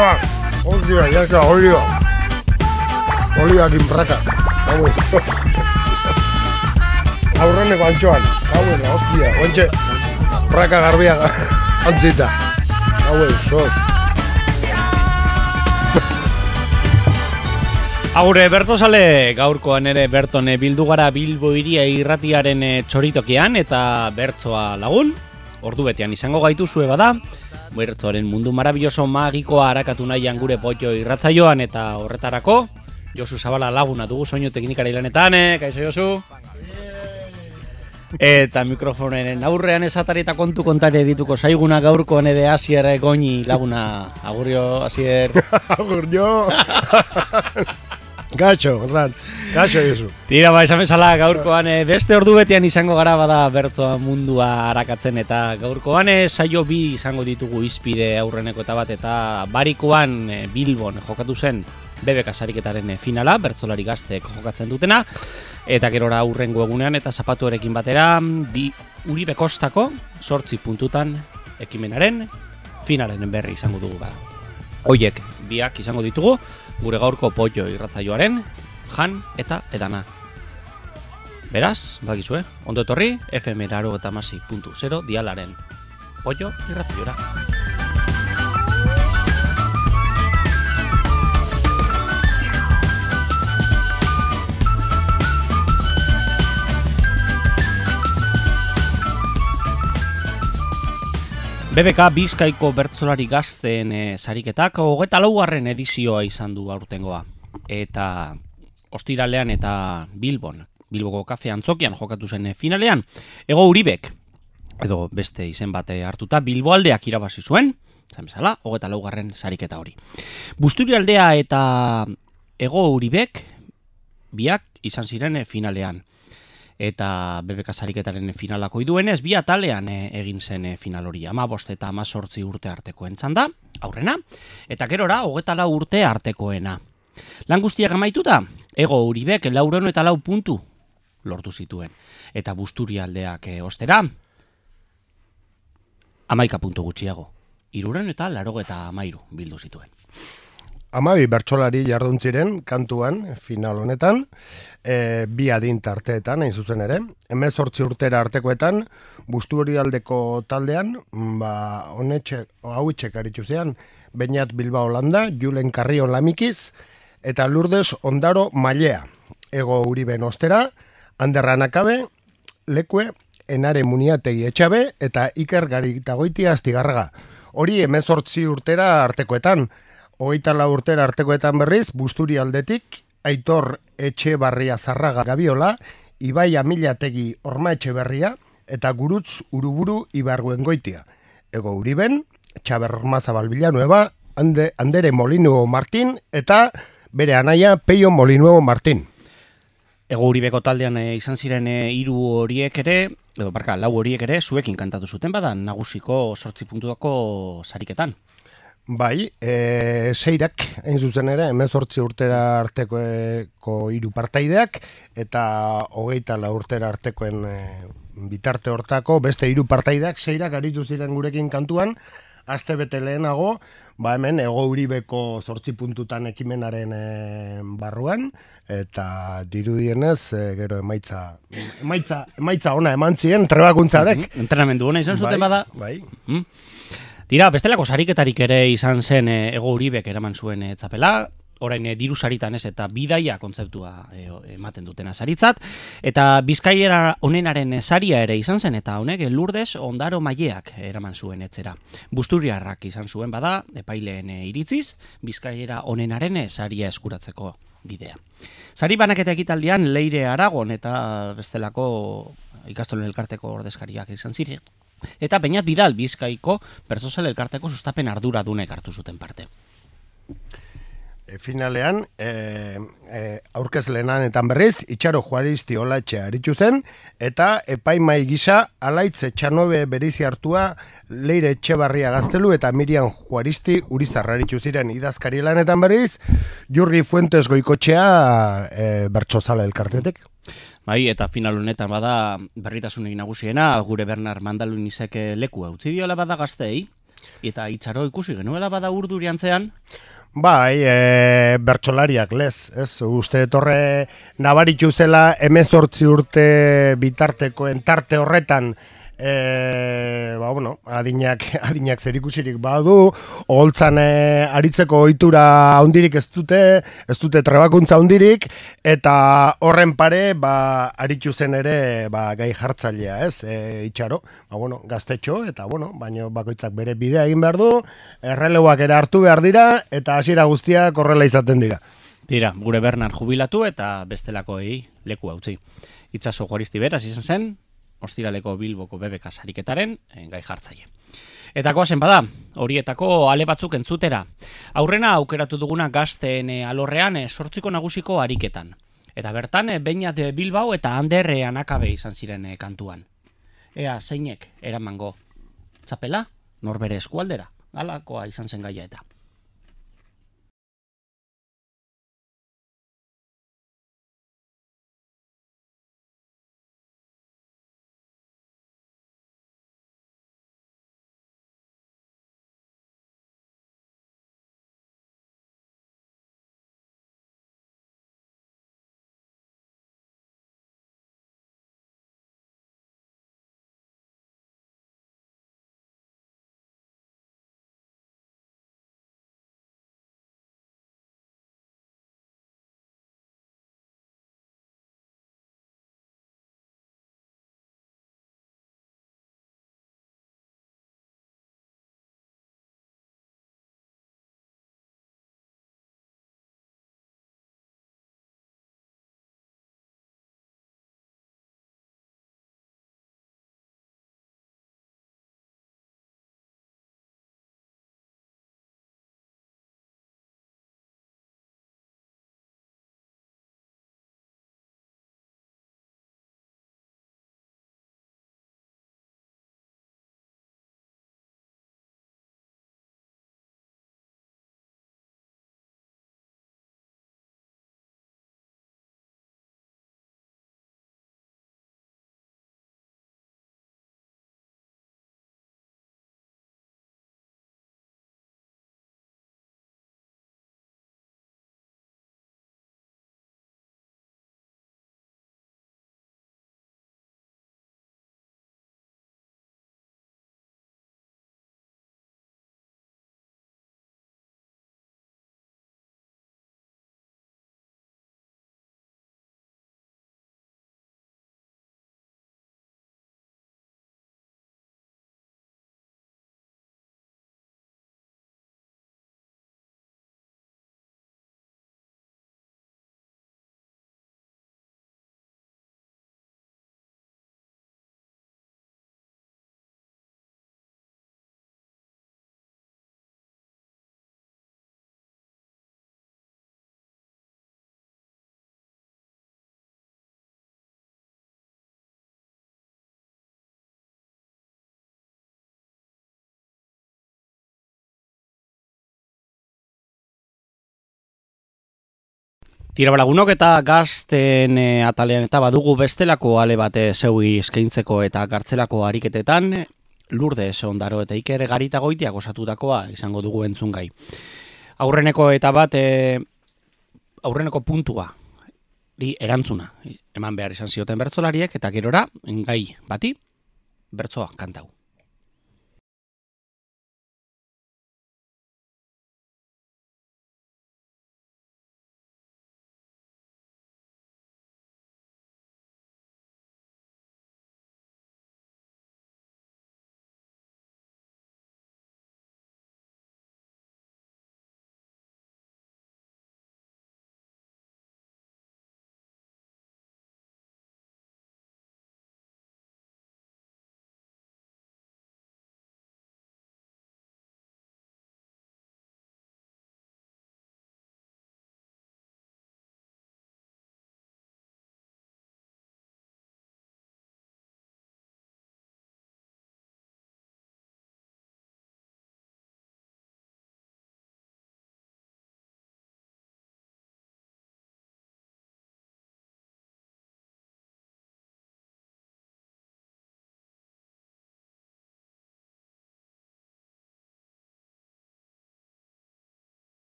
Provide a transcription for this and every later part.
Hostia, ya está, Oliakin praka. Aurreneko antxoan. Hostia, ointxe. Praka garbia antzita. Sos. Agure, Bertozale, gaurkoan ere Bertone bildu gara Bilbo Hiria irratiaren txoritokian eta bertsoa lagun. Ordu betean izango gaituzue bada. Bertsoaren mundu marabilloso magikoa harakatu nahian gure potxo irratzaioan eta horretarako Josu Zabala laguna dugu soinu teknikari lanetan, kaixo Josu? Eta mikrofonen aurrean esatari eta kontu kontari erituko zaiguna gaurkoan ere Asier Goñi laguna. Agurio, Asier. Agurio. Gaxo, Rantz. Gaxo, Josu. Tira, esan bezala gaurkoan beste ordu betean izango gara bada bertsoa mundua harakatzen eta gaurkoan saio bi izango ditugu izpide aurreneko eta bat eta barikoan Bilbon jokatu zen BBK sariketaren finala, bertsolari gazteek jokatzen dutena eta gerora aurrengo egunean eta zapatuarekin batera Uribe Kostako 8 puntutan ekimenaren finalen berri izango dugu bada. Hoiek biak izango ditugu gure gaurko potxo irratzaioaren jan eta edana. Beraz, badakizue, ondo etorri FM 96.0 dialaren potxo irratzaiora. BBK Bizkaiko bertsolari gazteen sariketak 24. edizioa izan du aurtengoa. Eta ostiralean eta Bilboko kafe antzokian jokatu zen finalean. Ego Uribek, edo beste izen bate hartuta, Bilboaldeak irabazi zuen, zan bezala, 24. sariketa hori. Busturialdea eta Ego Uribek biak izan ziren finalean. Eta BBK sariketaren finalako iduenez, bi atalean egin zen final hori. 15 eta 18 urte artekoen txanda, aurrena, eta gerora 24 urte artekoena. Lan guztiak amaituta, Ego Uribek 404 puntu lortu zituen. Eta Busturialdeak ostera, 11 puntu gutxiago. 493 bildu zituen. 12 bertsolari jardun ziren kantuan final honetan, bi adin tarteetan, hain zuzen ere. 18 urtera artekoetan, Busturialdeko taldean, hauitxek aritu zean, Beñat Bilbao Landa, Julen Carrion Lamikiz, eta Lourdes Ondaro Mailea. Ego Uriben ostera, Ander Anakabe, Lekue, Enare Muniategi Etxabe, eta Iker Garitagoitia Astigarraga. Hori 18 urtera artekoetan. 24 urtera artekoetan berriz, Busturialdetik, Aitor Etxebarria Zarraga Gabiola, Ibai Amilategi Orma Etxeberria, eta Gurutz Uruburu Ibarguengoitia. Ego Uriben, Txaber Ormazabal Villanueva, Andere Molinuevo Martín, eta bere anaia Peio Molinuevo Martín. Ego Uribeko taldean izan ziren 3 horiek ere, lau horiek ere, zuekin kantatu zuten bada, nagusiko 8 puntuako sariketan. Bai, seirak, hain zuzen ere, 18 urtera artekoeko 3 partaideak, eta 24 urtera artekoen bitarte hortako beste 3 partaideak, seirak aritu ziren gurekin kantuan, aste bete lehenago, hemen Ego Uribeko 8 puntutan ekimenaren barruan, eta dirudienez, gero emaitza ona eman ziren trebakuntzarek. Entrenamendu ona izan zuten bada. Bai. Dira, bestelako sariketarik ere izan zen Ego Uribek eraman zuen txapela, orain diru saritan ez eta bidaia kontzeptua ematen dutena saritzat, eta Bizkaiera onenaren saria ere izan zen, eta honek Lourdes Ondaro Maileak eraman zuen etzera. Busturiarrak izan zuen bada, epaileen iritziz, Bizkaiera onenaren saria eskuratzeko bidea. Sari banaketa ekitaldian Leire Aragon eta bestelako ikastolen elkarteko ordezkariak izan ziren. Eta Beñat Vidal Bizkaiko Bertsozale elkarteko sustapen arduradunek hartu zuten parte. Finalean, aurkezleenanetan berriz, Itxaro Juaristi Olatxe aritu zen, eta epaimai gisa Alaitz Etxanobe berizi hartua Leire Etxebarria Gaztelu eta Miriam Juaristi Urizarra aritu ziren idazkari lanetan berriz, Jurgi Fuentes Goikotxea Bertsozale elkartetek. Bai, eta final honetan bada berritasunik nagusiena, gure Bernard Mandalunizek leku utzi diola bada gazteei, Eta itxaro ikusi genuela bada urduriantzean. Bai, bertsolariak lez, ez? Uste etorre nabaritu zela 18 urte bitartekoen tarte horretan adinak zerikusirik badu, oholtzan aritzeko ohitura handirik ez dute trebakuntza handirik, eta horren pare, aritu zen ere, gai jartzailea, ez? Itxaro, gaztetxo, eta baino bakoitzak bere bidea egin behar du, erreleuak ere hartu behar dira, eta hasiera guztiak horrela izaten dira. Dira, gure Bernard jubilatu eta bestelakoei leku utzi. Itxaso Juaristi beraz izan zen, ostiraleko Bilboko BBK sariketaren gai jartzaile. Eta goazen bada, horietako ale batzuk entzutera. Aurrena aukeratu duguna gazteen alorrean 8 nagusiko ariketan. Eta bertan, Beñat Bilbao eta Ander Anakabe izan ziren kantuan. Ea, zeinek eramango txapela, norbere eskualdera, halakoa izan zen gaia eta. Tirabalagunok eta gazten atalean eta badugu bestelako ale bate zeui eskaintzeko eta kartzelako ariketetan, Lourdes Ondaro eta Iker Garitagoitiak osatutakoa izango dugu entzungai. Aurreneko eta bat, aurreneko puntua, erantzuna, eman behar izan zioten bertsolariek, eta gerora, gai bati, bertsoa kantau.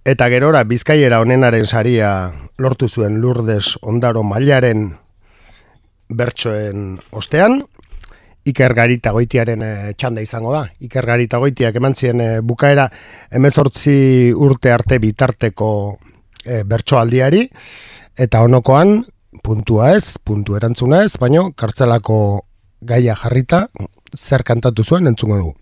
Eta gerora Bizkaiera onenaren saria lortu zuen Lourdes Ondaro Mailaren bertsoen ostean. Iker Garitagoitiaren txanda izango da. Iker Garitagoitiak eman zien bukaera 18 urte arte bitarteko bertsoaldiari, eta onokoan puntua ez, puntu erantzuna ez, baino kartzelako gaia jarrita zer kantatu zuen entzungo dugu.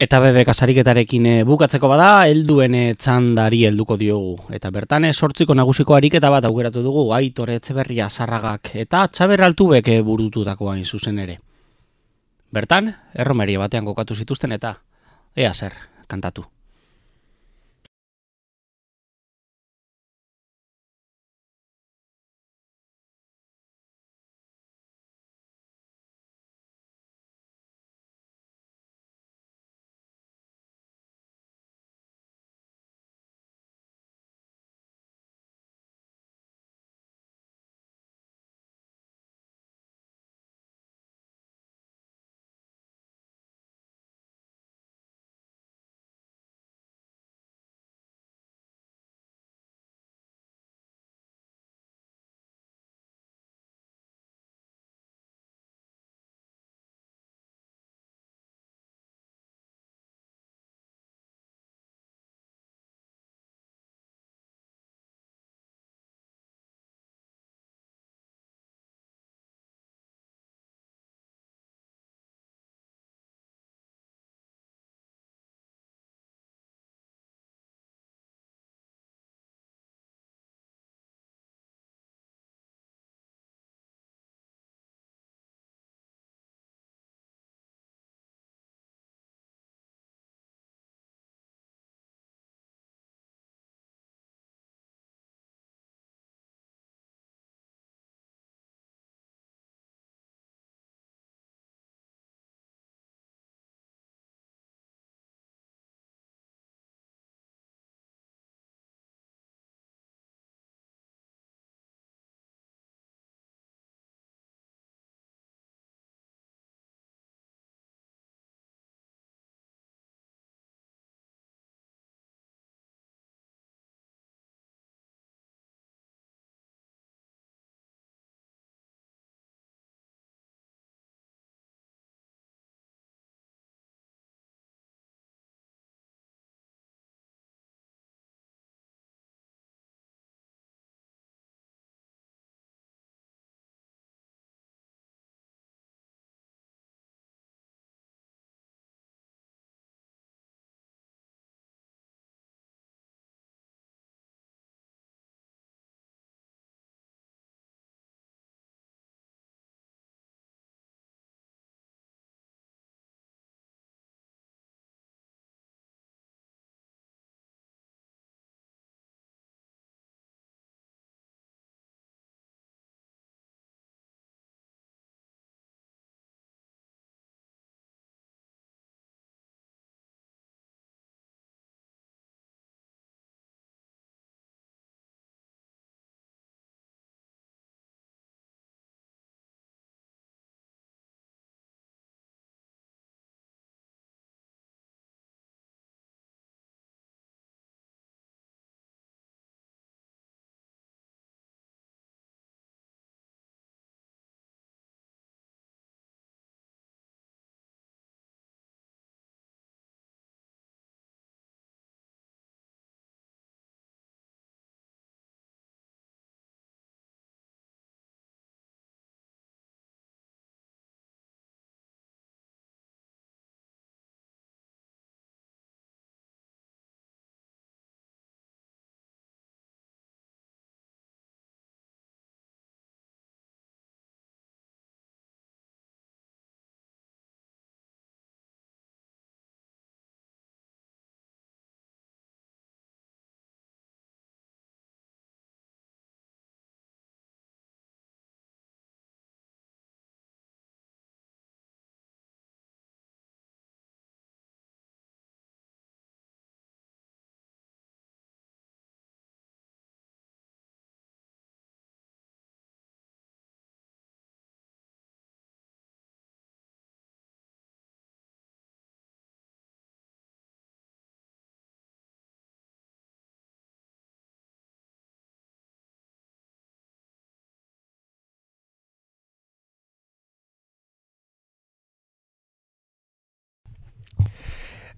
Eta bebek sariketarekin bukatzeko bada, helduen txandari helduko diogu. Eta bertan 8 nagusiko ariketa bat aukeratu dugu, Aitor Etxeberria Sarragak eta Txaber Altubek burututakoa hain zuzen ere. Bertan, erromeria batean kokatu zituzten eta ea zer kantatu.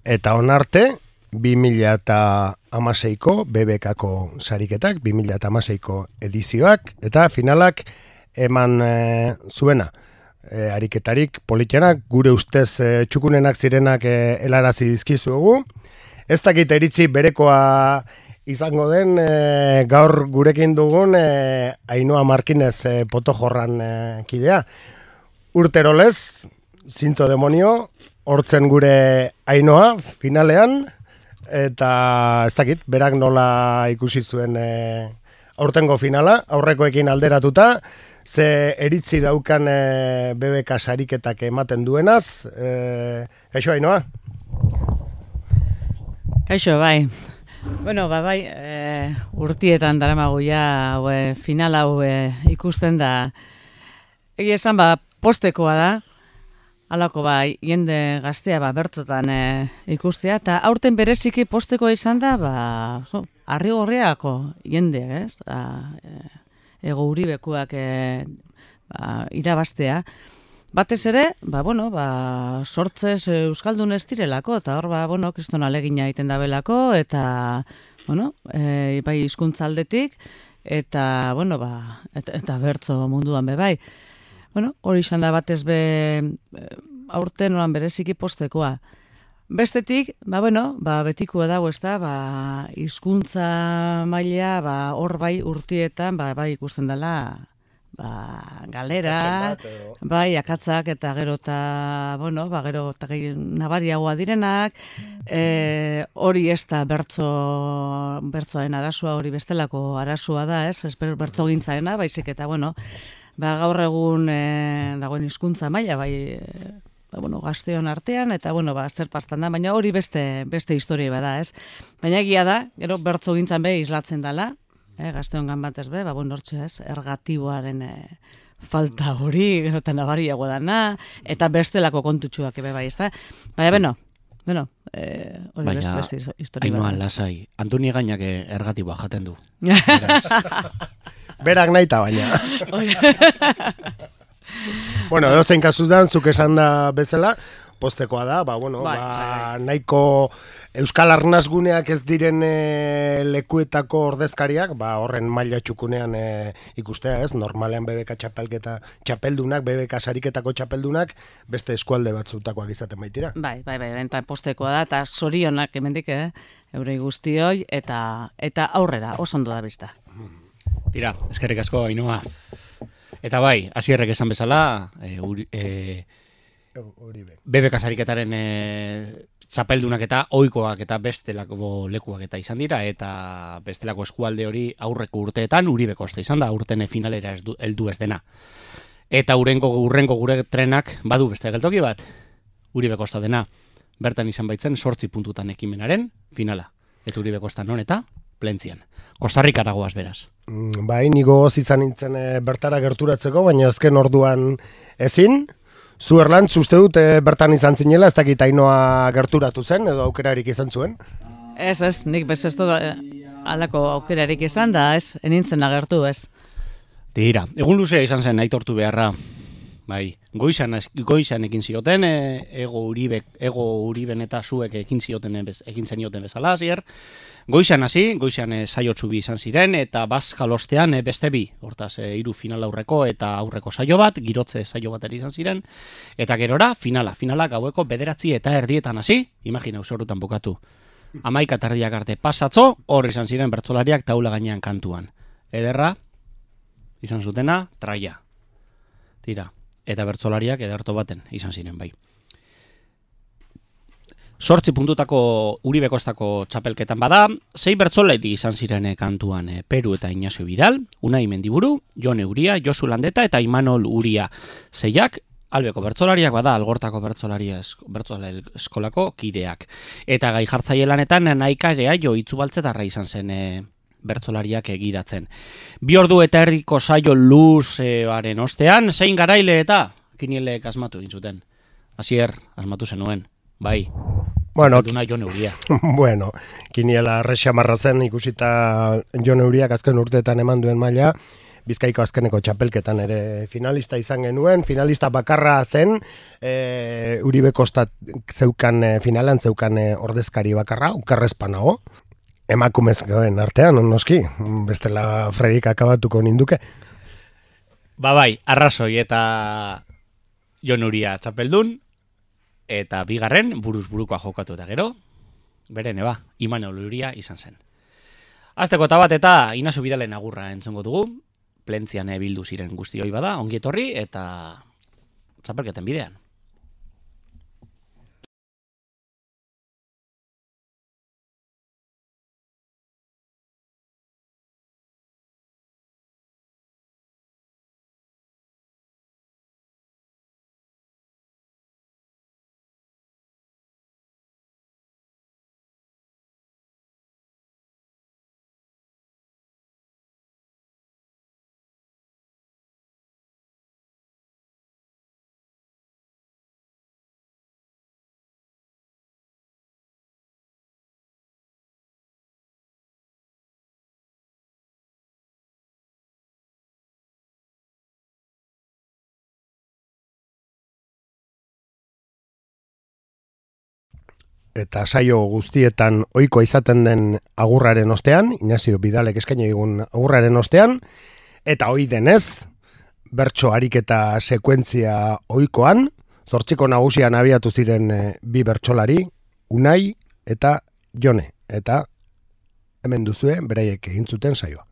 Eta onarte, 2016ko BBKko sariketak, 2016ko edizioak, eta finalak eman zuena. Ariketarik politenak, gure ustez txukunenak zirenak helarazi dizkizuegu. Ez dakit iritzi berekoa izango den gaur gurekin dugun Ainhoa Markinez Potojorran kidea. Urterolez, zintzo demonio, hortzen gure Ainhoa finalean, eta ez dakit, berak nola ikusi zuen aurtengo finala, aurrekoekin alderatuta, ze eritzi daukan BBK sariketak ematen duenaz. Kaixo, Ainhoa? Kaixo, bai. Bueno, bai, urtietan daramagu ja final hau ikusten da. Egia esan, postekoa da, halako jende gaztea bertotan ikustea, eta aurten bereziki postekoa izan da, Arrigorriako jende, ez? Ego Uribekuak irabaztea. Batez ere, sortzez euskaldun ez direlako, eta hor, kriston alegina egiten dabelako, eta, bai hizkuntza aldetik, eta, eta bertso munduan bai. Hori izan da batez aurten oran bereziki postekoa. Bestetik, betikoa dago ez da, hizkuntza maila, hor bai urtietan, bai ikusten dela, galera, bai, akatzak eta gero eta, gero eta nabariagoa direnak, hori ez da bertzoaren arazoa, hori bestelako arazoa da, ez bertzo gintzaena, baizik eta, gaur egun dagoen hizkuntza maila, bai, gazteon artean, eta, zer pastan da, baina hori beste historia bada, ez? Baina egia da, gero bertzo gintzan islatzen dela, gazteon gan batez hortxe, ez? Ergatiboaren falta hori, gero eta nabariago dana, eta bestelako kontutxuak bai, ez da? Baina, hori beste historia bada. Ainhoa, lasai, Antoni gainak ergatiboa jaten du. Berak nahi eta baina. Bueno, edozein kasutan, zuk esan da bezala, postekoa da, nahiko euskal arnazguneak ez diren lekuetako ordezkariak, horren maila txukunean ikustea, ez? Normalean BBK txapeldunak, BBK sariketako txapeldunak, beste eskualde batzutakoak izaten baitira. Bai, eta postekoa da, eta zorionak hemendik, eurei guztioi, eta aurrera, oso ondo da bizta. Tira, eskerrik asko, Ainhoa. Eta bai, Asierrek esan bezala, BBK sariketaren txapeldunak eta ohikoak eta bestelako lekuak eta izan dira, eta bestelako eskualde hori aurreko urteetan Uribe Kosta izan da, urten finalera heldu ez dena. Eta urrengo gure trenak badu beste geltoki bat, Uribe Kosta dena, bertan izan baitzen 8 puntutan ekimenaren finala. Eta Uribe Kosta non eta Plentzian. Kostarrikara goaz beraz. Bai, nigo goz izan nintzen bertara gerturatzeko, baina azken orduan ezin. Zu Erlantz, uste dut bertan izan zinela, ez dakit Ainhoa gerturatu zen, edo aukerarik izan zuen? Ez, nik bez ez dut alako aukerarik izan da, ez, enintzen agertu, ez. Tira, egun luzea izan zen aitortu beharra, bai, goizan ekin zioten, ego Uriben eta zuek ekin zenioten bezala, zier. Goizan saio txubi izan ziren, eta bazkalostean beste bi, hortaz, 3 final aurreko eta aurreko saio bat, girotze saio bat izan ziren, eta gerora, finala gaueko 9:30 hasi, imagina, usorrutan bukatu. 11:30 arte pasatzo, hor izan ziren bertsolariak taula gainean kantuan. Ederra, izan zutena, traia. Tira, eta bertsolariak ederto baten izan ziren bai. 8 puntutako Uribe Kostako txapelketan bada, 6 bertsolari izan ziren kantuan Peru eta Ignacio Vidal, Unai Mendiburu, Jon Euria, Josu Landeta eta Imanol Uria. 6ak, albeko bertsolariak bada, Algortako bertsolaria eskolako kideak. Eta gai jartzaile lanetan Naikarea Jo Itzubaltzetarra izan zen bertsolariak egidatzen. 2 ordu eta erdiko saio luzearen ostean, zein garaile eta kinielek asmatu gintzuten. Asier, asmatu zenuen. Bai, bueno, Jon Euria. Bueno, kiniela arrexamarra zen ikusita Jon Euriak azken urteetan eman duen maila, Bizkaiko azkeneko txapelketan ere finalista izan genuen, finalista bakarra zen, Uribe Kostat zeukan finalan, zeukan ordezkari bakarra, ukarrezpanago, emakumezkoen artean, noski, bestela Fredik akabatuko ninduke. Bai, arrazoi eta Jon Uria txapeldun, eta bigarren buruz burukoa jokatu eta gero, beren Imanol Uria izan zen. Azteko eta bat eta Inaso Bidalen agurra entzongo dugu, plentzian bildu ziren guztioi bada, ongi etorri eta txapelketen bidean. Eta saio guztietan ohikoa izaten den agurraren ostean, Inazio Bidalek eskaini digun agurraren ostean, eta ohi denez, bertso ariketa sekuentzia ohikoan, 8 nagusian abiatu ziren bi bertsolari, Unai eta Jone, eta hemen duzue beraiek egin zuten saioa.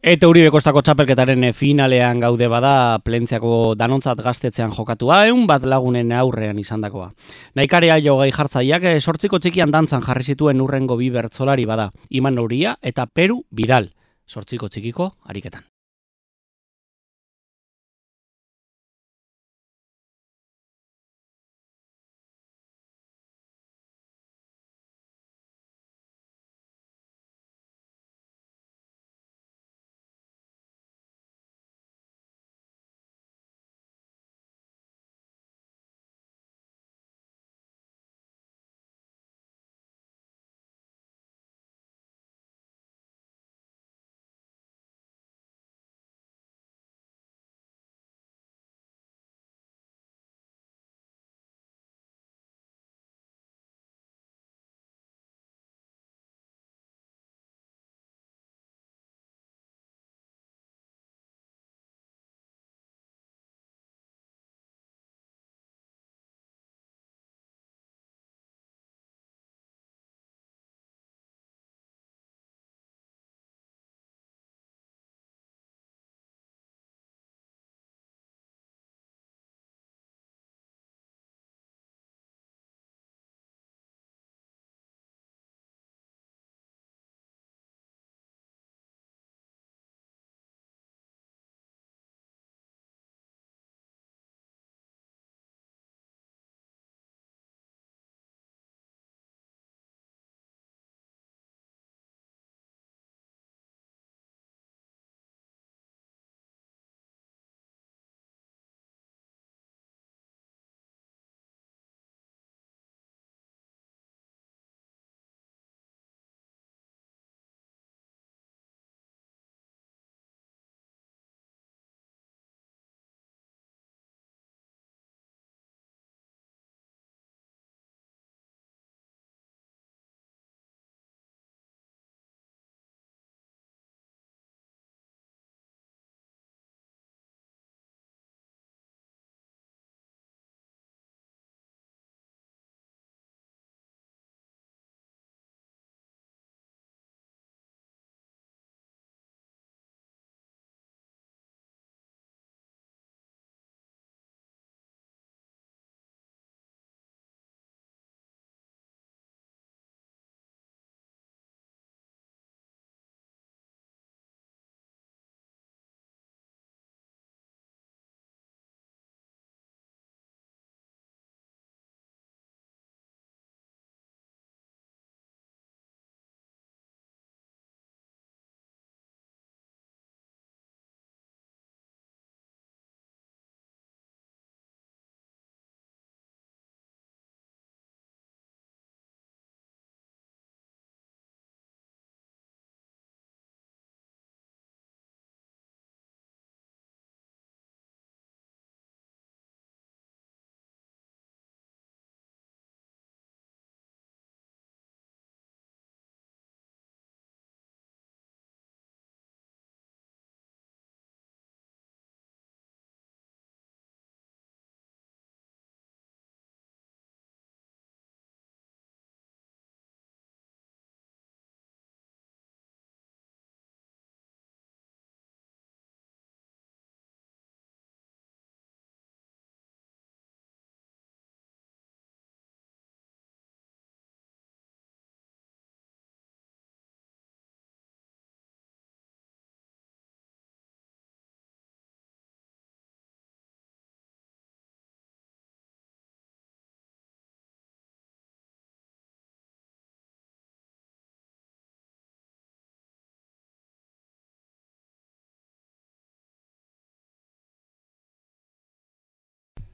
Eta Uribe Kostako txapelketaren finalean gaude bada, Plentziako danontzat gaztetzean jokatua, 100 lagunen aurrean izandakoa. Naikarea jogai jartzaileak 8 txikian dantzan jarri zituen urrengo bi bertsolari bada, Iman Uria eta Peru Bidal, 8 txikiko ariketan.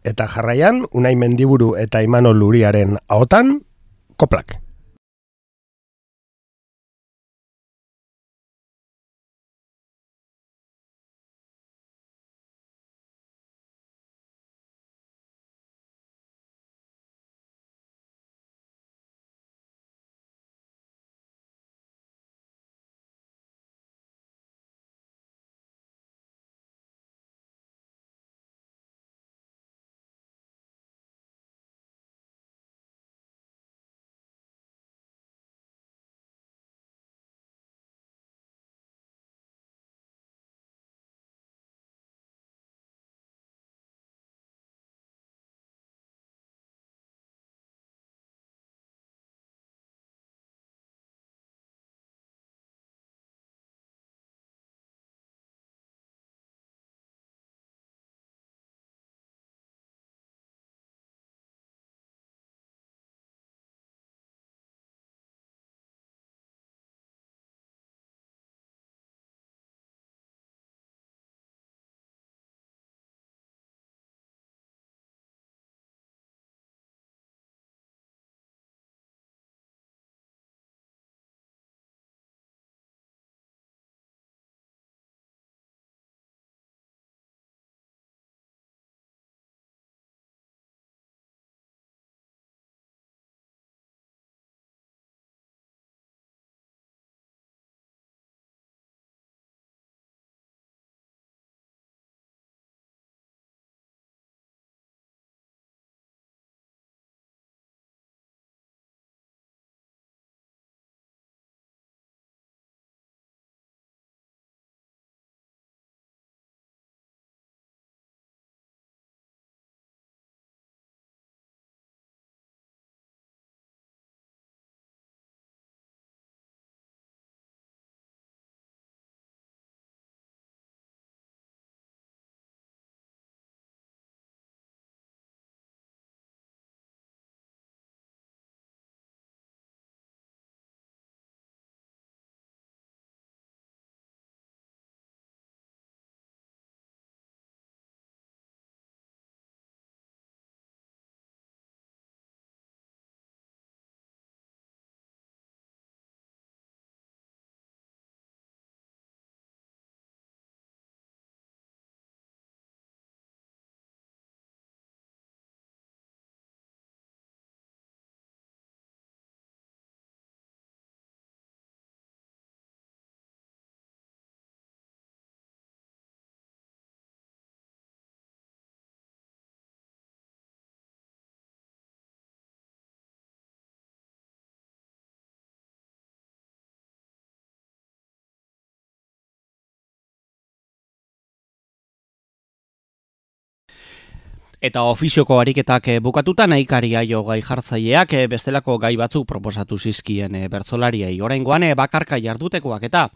Eta jarraian, Unai Mendiburu eta Imanol Uriaren ahotan, koplak. Eta ofizioko ariketak bukatuta nahikari aio gai jartzaileak bestelako gai batzuk proposatu zizkien bertsolariei. Oraingoan bakarka jardutekoak eta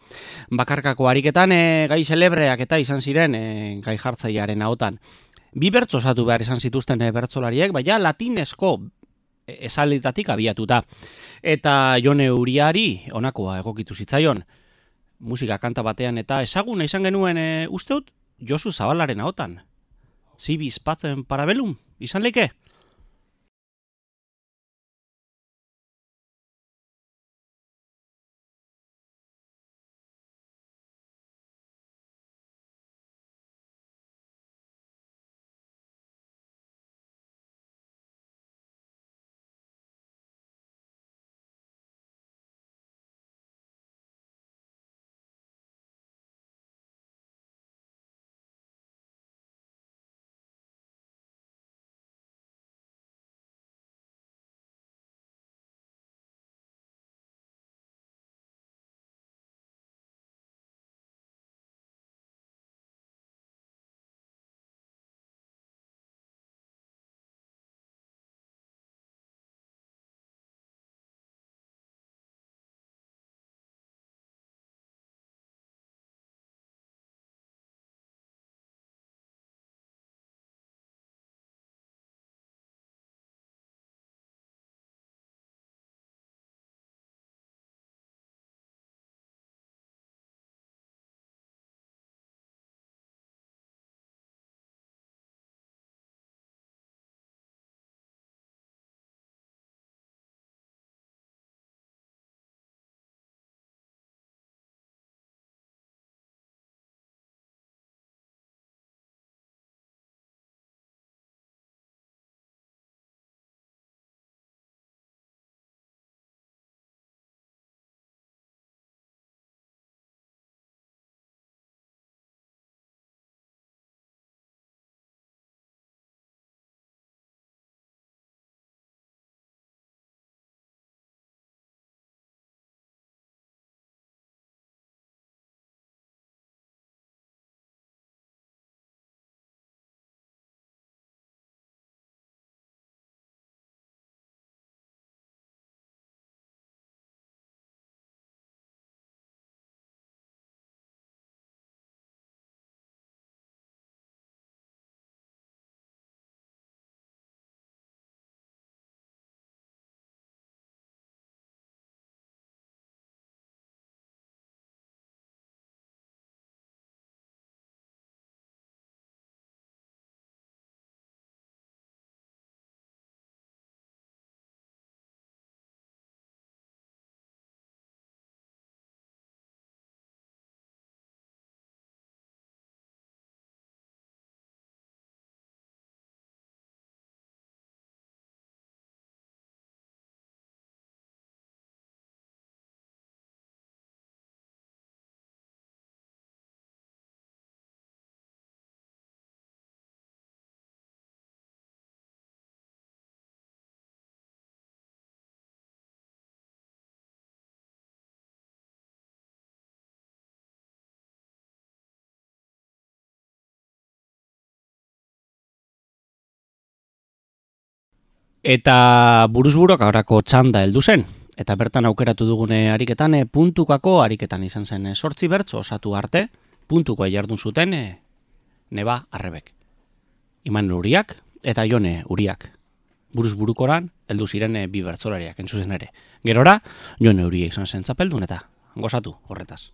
bakarkako ariketan gai celebreak eta izan ziren gai jartzailearen ahotan. Bi bertso osatu behar izan zituzten bertsolariek, baina latinesko esaletatik abiatuta. Eta Jone Uriari honakoa egokitu zitzaion. Musika kanta batean eta ezaguna izan genuen usteut Josu Zabalaren ahotan. Zibiz patzen parabelum, izan leike? Eta buruzburok aurako txanda heldu zen. Eta bertan aukeratu dugune ariketan puntukako ariketan izan zen 8 bertso osatu arte, puntukoa jardun zuten Neba Arrebek. Iman Uriak eta Jone Uriak. Buruzburukoran heldu ziren bi bertsolariak entzuzen ere. Gerora, Jone Uria izan zen txapeldun eta gozatu horretaz.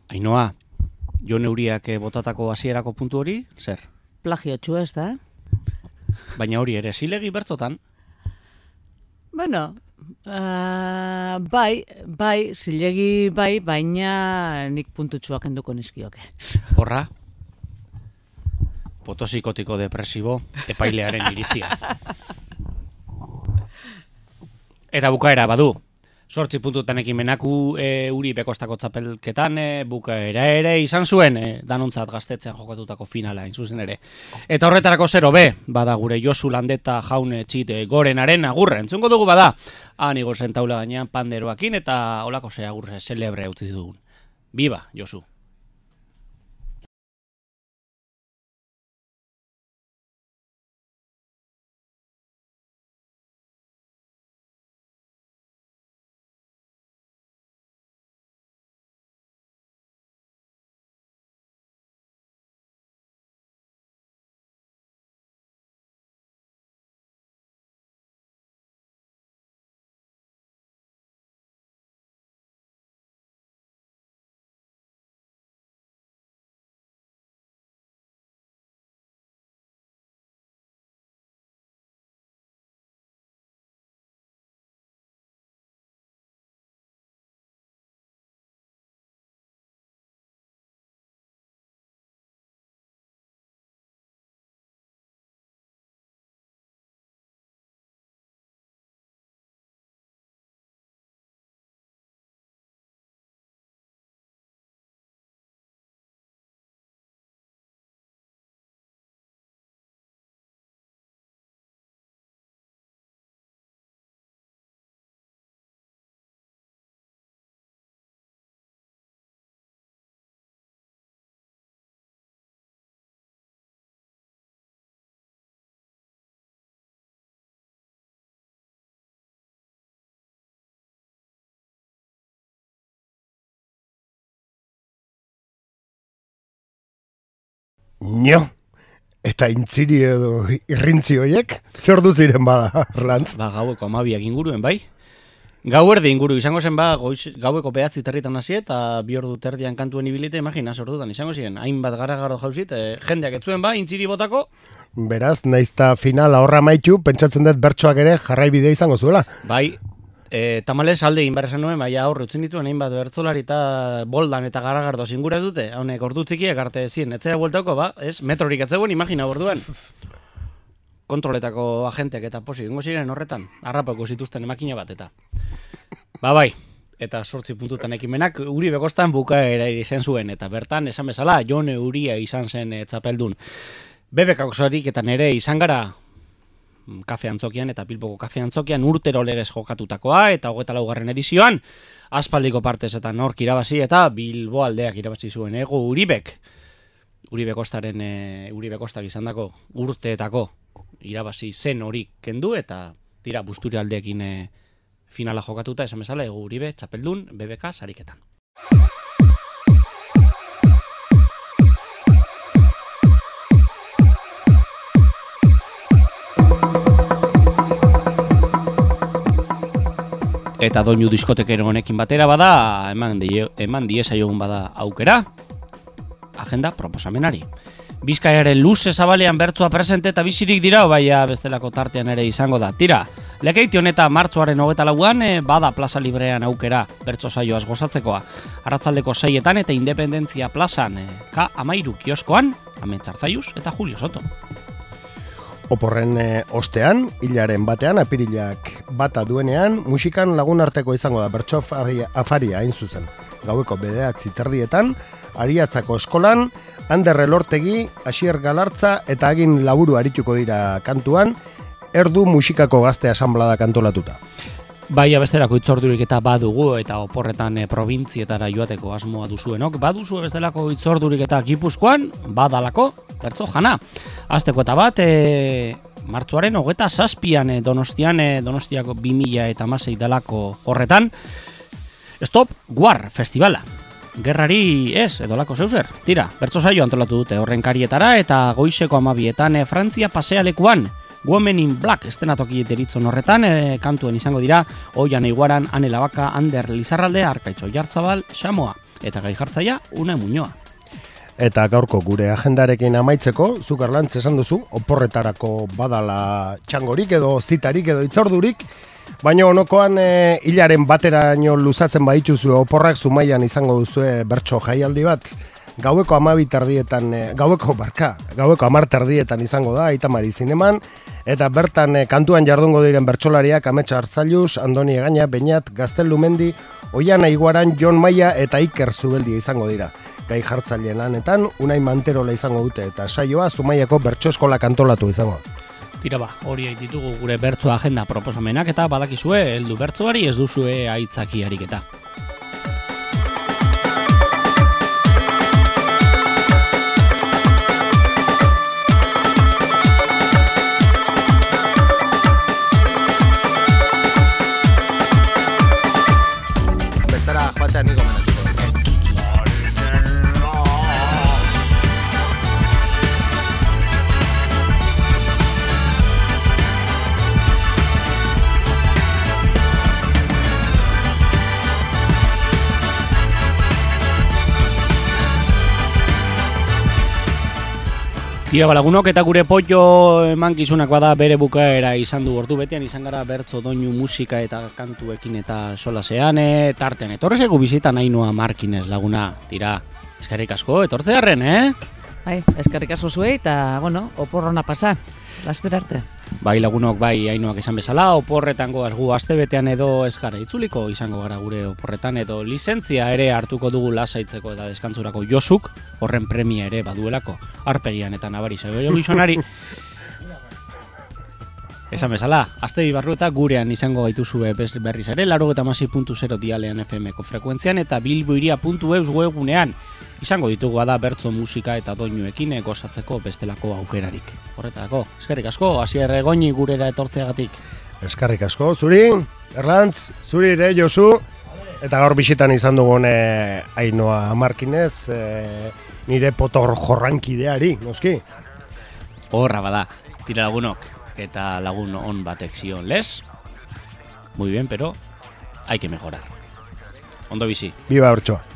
Ainoa, Jon Euriak botatako hasierako puntu hori, zer? Plagiotxu ez da? Baina hori ere, zilegi bertzotan? Bueno, bai, zilegi bai, baina nik puntutxuak enduko nizkioke. Horra, potosikotiko depresibo epailearen iritzia. Eta bukaera badu. 8 puntutan ekimenaku Uribe Kostako txapelketan bukaera ere izan zuen danontzat gaztetzean jokatutako finala zuzen ere. Eta horretarako 0B, bada gure Josu Landeta jaun txit gorenaren agurre. Entzungo dugu bada, han igor zen taula gainean panderoakin eta olako ze agurre celebre utzi dugun. Biba, Josu! Nio, eta intziri edo irrintzi horiek, zer du ziren bada, Arlantz? Ba, gaueko 12 inguruen, bai? Gauerdi inguru izango zen ba, gaueko 9 territan hasi eta 2 ordu terdian kantuen ibilite, imagina, sordutan izango ziren, hainbat gara-garo jauzit, jendeak etzuen ba, intziri botako. Beraz, naizta finala horra maitu, pentsatzen dut bertsoak ere jarraibide izango zuela. Bai, tamalez alde egin behar esan nuen, baina aurre utzen dituen hainbat bertzolari eta boldan eta garagardo zingura dute, honek ordu txikiek arte zien, etzera bueltako, ba, ez, metrorik etzegoen, imagina orduan. Kontroletako agenteak eta posi, dengo ziren horretan, harrapako zituzten emakina bat eta. Ba bai, eta 8 puntutan ekimenak Uribe Kostan bukaera izan zuen, eta bertan esan bezala, Jon Euria izan zen txapeldun. BBK-ak eta nere izan gara kafe antzokian eta Bilboko kafe antzokian urtero legez jokatutakoa eta 24. edizioan aspaldiko partezetan nork irabazi eta Bilbo aldeak irabazi zuen ego Uribek. Uribe Kostak izan dako urteetako irabazi zen hori kendu eta tira Busturi aldeekin finala jokatuta esan bezala ego Uribe txapeldun BBK sariketan. Eta doinu diskotekero honekin batera bada, eman diezaiogun bada aukera, agenda proposamenari. Bizkaiaren luze zabalean bertsoa presente eta bizirik dira, baina bestelako tartean ere izango da. Tira, lekeiti honeta martxoaren 24an bada plaza librean aukera bertso saioaz gozatzekoa. Arratzaldeko 6etan eta Independentzia plazan, K13 kioskoan, Ametxarzaiuz eta Julio Soto. Oporren ostean, hilaren batean, apirilak bata duenean, musikan lagun arteko izango da bertso afaria hain zuzen. Gaueko 9:30 Ariatzako eskolan, Ander Elortegi, Asier Galartza eta Agin Laburu arituko dira kantuan, erdu musikako gazte asanblada kantolatuta. Bai, abesterako itzordurik eta badugu eta oporretan probintzietara joateko asmoa duzuenok. Baduzu bestelako itzordurik eta Gipuzkoan, badalako, bertso jana. Azteko eta bat, martxoaren 27an Donostiako 2016 dalako horretan, Stop War Festivala. Gerrari ez, edolako zeuzer. Tira, bertso saio antolatu dute horren karietara eta goizeko 12etan Frantzia pasealekuan, Women in Black estenatoki deritzon horretan, kantuen izango dira, Oian Eiguaran, Ane Labaka, Ander Lizarralde, Arkaitzo Jartzabal, Xamoa. eta gai jartzaia Unai Muñoa. Eta gaurko gure agendarekin amaitzeko, zuk Erlantz esan duzu, oporretarako badala txangorik edo zitarik edo itzordurik, baina onokoan hilaren bateraino luzatzen baituzue oporrak Zumaian izango duzue bertso jaialdi bat. Gaueko 10 terdietan izango da, Aitamari Zineman, eta bertan kantuan jardungo diren bertsolariak Ametsa Arzailuz, Andoni Egaña, Beñat, Gaztelumendi, Oiana Iguaran, Jon Maia eta Iker Zubeldia izango dira. Gai jartzaileen lanetan, Unai Manterola izango dute eta saioa Zumaiako bertso eskola kantolatu izango. Tira hori ditugu gure bertso agenda proposamenak eta badakizue, heldu bertsoari ez duzue aitzaki ariketa. Bertara joatea niko menatuko. Tira lagunok eta gure pollo emankizunak bada bere bukaera izan du ordu betean izan gara bertso doinu musika eta kantuekin eta solasean tartean. Etorre zaigu bizitan Ainhoa Markinez laguna, tira, eskerrik asko, etortzearren, Bai, eskerrik asko zuei eta, bueno, oporrona pasa, laster arte. Bai lagunok, bai Ainhoak esan bezala, oporretan goaz gu astebetean edo ez gara itzuliko izango gara gure oporretan edo lizentzia ere hartuko dugu lasaitzeko eta deskantzurako Josuk, horren premia ere baduelako, arpegian eta nabari zaio gizonari. Esan bezala, aste barru eta gurean izango gaituzue berriz ere, 96.0 dialean FM-ko frekuentzian eta bilboiria.eus webunean izango ditugu da bertso musika eta doinuekin gozatzeko bestelako aukerarik. Horretarako, eskerrik asko, Asier Egoñi gurera etortzeagatik. Eskerrik asko, zuri, Erlantz, zuri ere, Josu, eta gaur bisitan izan dugun Ainhoa Markinez, nire potor jorrankideari, noski? Horra bada, tira lagunok, eta lagun on batek zion les. Muy bien, pero hay que mejorar. Ondo bizi. Viva Ortxoa.